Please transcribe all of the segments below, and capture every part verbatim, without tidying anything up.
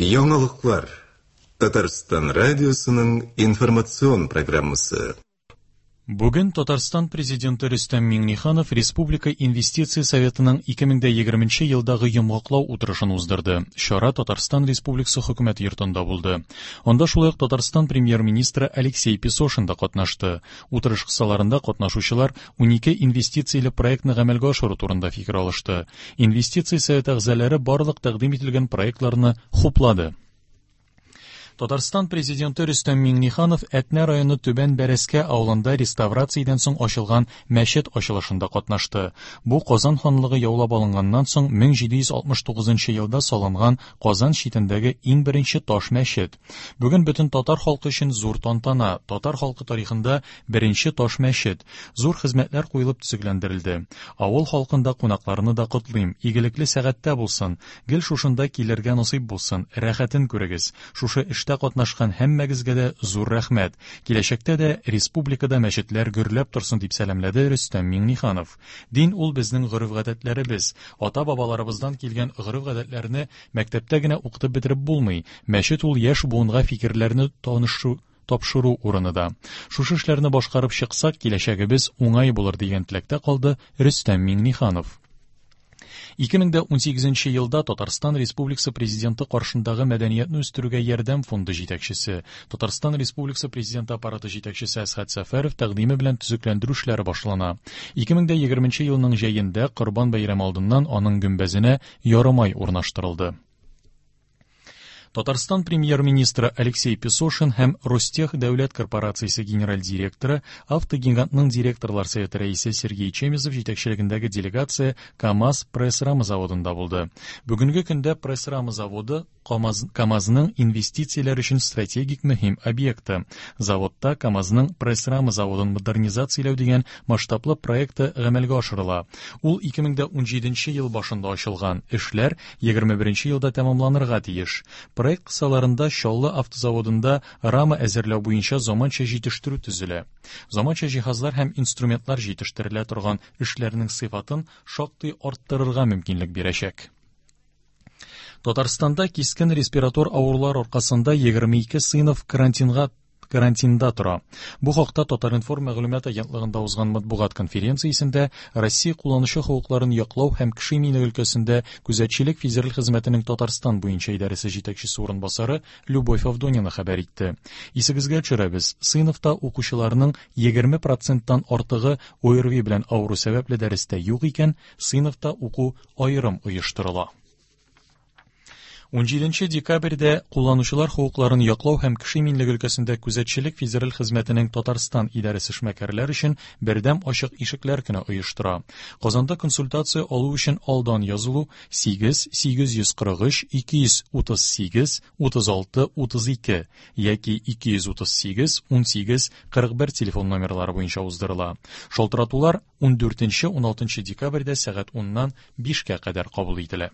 Яңалыклар. Татарстан радиосының информацион программасы. Бүген Татарстан президенты Рөстәм Миңнеханов Республика инвестиция советының ике мең дә егерменче елдагы йомгаклау утырышын уздырды. Чара Татарстан Республикасы хөкүмәт йортында булды. Анда шулай ук Татарстан премьер-министры Алексей Песошин да катнашты. Утырыш кысаларында катнашучылар унике инвестицияле проектны гамәлгә ашыру турында фикер алышты. Инвестиция советы әгъзалары барлык тәкъдим ителгән проектларны хуплады. Татарстан президенты Рөстәм Миңнеханов Әтнә районы Түбән Бәрәскә авылында реставрациядән соң ачылган мәчет ачылышында катнашты. Бу Казан ханлыгы яулап алынганнан соң мең җиде йөз алтмыш тугызынчы елда салынган Казан читендәге иң беренче таш мәчет. Бүген бөтен татар халкы өчен зур тантана, татар халкы тарихында беренче таш мәчет. Зур хезмәтләр куелып төзекләндерелде. Авыл халкында кунакларны да котлыйм. Игелекле сәгатьтә булсын, гел шушында килергә насыйп булсын, рәхәтен күрегез. Шушы эштә катнашкан һәммәгезгә дә зур рәхмәт. Киләчәктә дә республикада мәчетләр гөрләп торсын дип сәламләде Рөстәм Миңнеханов. Дин ул безнең гореф-гадәтләребез. Ата-бабаларыбыздан килгән гореф-гадәтләрне мәктәптә генә укытып бетереп булмый. Мәчет ул яшь буынга фикерләрне танышу тапшыру урыны да. Шушы эшләрне башкарып чыксак, киләчәгебез уңай булыр дигән теләктә калды Рөстәм Миңнеханов. Ике мең дә унсигезенче елда Татарстан Республикасы Президенты каршындагы мәдәниятне үстерүгә ярдәм фонды җитәкчесе, Татарстан Республикасы Президенты аппараты җитәкчесе Әсхәт Сәфәров тәкъдиме белән төзекләндерү эшләре башлана. Ике мең дә егерменче елның җәендә Корбан бәйрәме алдыннан аның гөмбәзенә ярымай урнаштырылды. Татарстан премьер-министры Алексей Песошин һәм Ростех дәүләт корпорациясе генераль директоры, автогигантның директорлар советы рәисе Сергей Чемезов җитәкчелегендәге делегация КАМАЗ пресс-рама заводында булды. Бүгенге көндә пресс-рама заводы КАМАЗ, КАМАЗның инвестицияләр өчен стратегик мөһим объекты. Заводта КАМАЗның пресс-рама заводын модернизацияләү дигән масштаблы проекты гамәлгә ашырыла. Ул ике мең дә унҗиденче ел башында ачылган. Эшләр егерме беренче елда тәмамланырга тиеш. Проект кысаларында Чаллы автозаводында рама әзерләү буенча заманча җитештерү төзелә. Заманча җиһазлар һәм инструментлар җитештерелә торган эшләрнең сыйфатын шактый арттырырга мөмкинлек бирәчәк. Татарстанда кискен респиратор авырулар аркасында егерме ике сыйныф карантинга, карантинда тора. Бу хакта Татар-информ мәгълүмат агентлыгында узган матбугат конференциясендә Россия кулланучы хокукларын яклау һәм кеше иминлеге өлкәсендә күзәтчелек федераль хезмәтенең Татарстан буенча идарәсе җитәкчесе урынбасары Любовь Авдонина хәбәр итте. Исегезгә төшерәбез, сыйныфта укучыларның егерме проценттан артыгы О Р В И белән авыру сәбәпле дәрестә юк икән, сыйныфта уку аерым оештырыла. Унҗиденче декабрьдә кулланучылар хокукларын яклау һәм кеше иминлеге өлкәсендә күзәтчелек федераль хезмәтенең Татарстан идарәсе эшмәкәрләр өчен бердәм ачык ишекләр көне оештыра. Казанда консультация алу өчен алдан язылу сигез сигез йөз кырык өч ике йөз утыз сигез утыз алты утыз ике яки ике йөз утыз сигез ун сигез кырык бер телефон номерлары буенча уздырыла. Шалтыратулар ундүртенче уналтынчы декабрьдә сәгать уннан бишкә кадәр кабул ителә.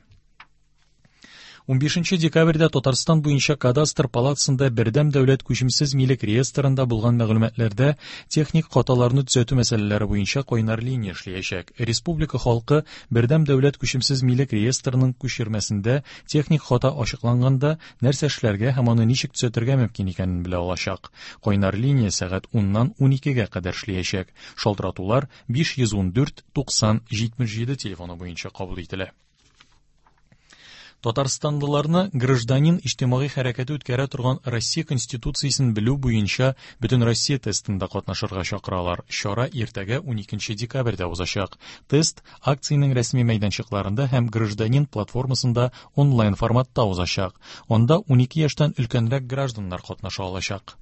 Унбишенче декабрьдә Татарстан буенча кадастр палатасында бердәм дәүләт күчемсез милек реестрында булган мәгълүматларда техник хаталарны төзәтү мәсьәләләре буенча кайнар линия эшләячәк. Республика халкы бердәм дәүләт күчемсез милек реестрының күчермәсендә техник хата ачыкланганда нәрсә эшләргә һәм аны ничек төзәтергә мөмкин икәнен белә алачак. Кайнар линия сәгать уннан уникегә кадәр эшләячәк. Шалтыратулар биш йөз ундүрт туксан җитмеш җиде телефоны буенча кабул ителә. Татарстанлыларны гражданин иҗтимагый хәрәкәте үткәрә торган Россия Конституциясен белү буенча Бөтен Россия тестында катнашырга чакыралар. Чара иртәгә уникенче декабрьдә узачак. Тест акциянең рәсми мәйданчыкларында һәм гражданин платформасында онлайн форматта узачак. Анда унике яшьтән өлкәнрәк гражданнар катнаша алачак.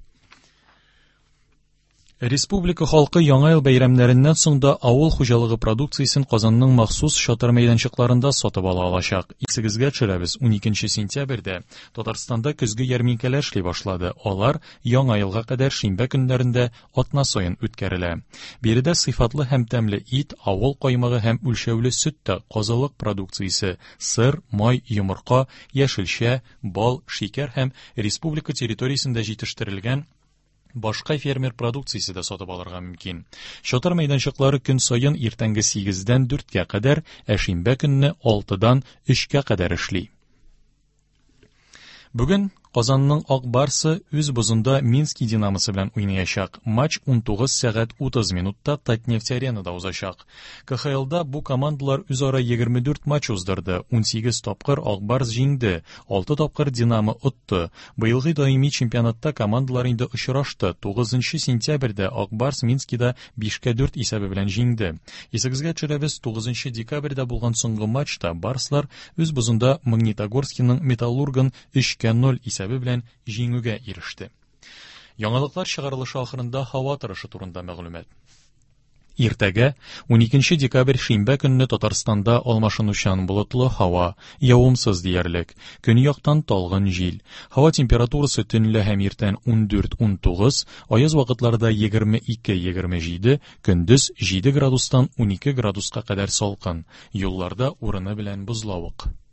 Республика халкы Яңа ел бәйрәмнәреннән соң да авыл хуҗалыгы продукциясен Казанның махсус чатыр мәйданчыкларында сатып ала алачак. Исегезгә төшерәбез, уникенче сентябрьдә Татарстанда көзге ярминкәләр эшли башлады. Алар Яңа елга кадәр шимбә көннәрендә атна саен үткәрелә. Биредә сыйфатлы һәм тәмле ит, авыл каймагы һәм үлчәүле сөт тә, казылык продукциясе, сыр, май, йомырка, яшелчә, бал, шикәр һәм республика территориясендә җитештерелгән башка фермер продукциясе дә сатып алырга мөмкин. Чатыр мәйданчыклары көн саен иртәнге сигездән дүрткә кадәр, ә шимбә көнне алтыдан өчкә кадәр эшли. Бүген Казанның Ак Барсы үз бозында Мински Динамосы белән уйнаячак. Матч унтугыз сәгать утыз минутта Татнефть аренада узачак. К Х Лда бу командалар үзара егерме дүрт матч уздырды. Унсигез тапкыр Ак Барс җиңде, алты тапкыр Динамо отты. Быелгы даими чемпионатта командалар инде очрашты. Тугызынчы сентябрьдә Ак Барс Минскида бишкә дүрт исәбе белән җиңде. Исегезгә төшерәбез, тугызынчы декабрьдә булган соңгы матчта Барслар үз бозында Магнитогорскийның Металлургын өчкә ноль исәбе белән җиңүгә иреште. Яңалыклар чыгарылышы ахырында һава торышы турында мәгълүмат. Иртәгә уникенче декабрь шимбә көнне Татарстанда алмашынучан болытлы һава, явымсыз диярлек. Көньяктан талгын җил. Һава температурасы төнлә һәм иртән ундүрт унтугыз, аяз вакытларда егерме ике егерме җиде, көндез җиде градустан унике градуска кадәр салкын. Юлларда урыны белән бозлавык.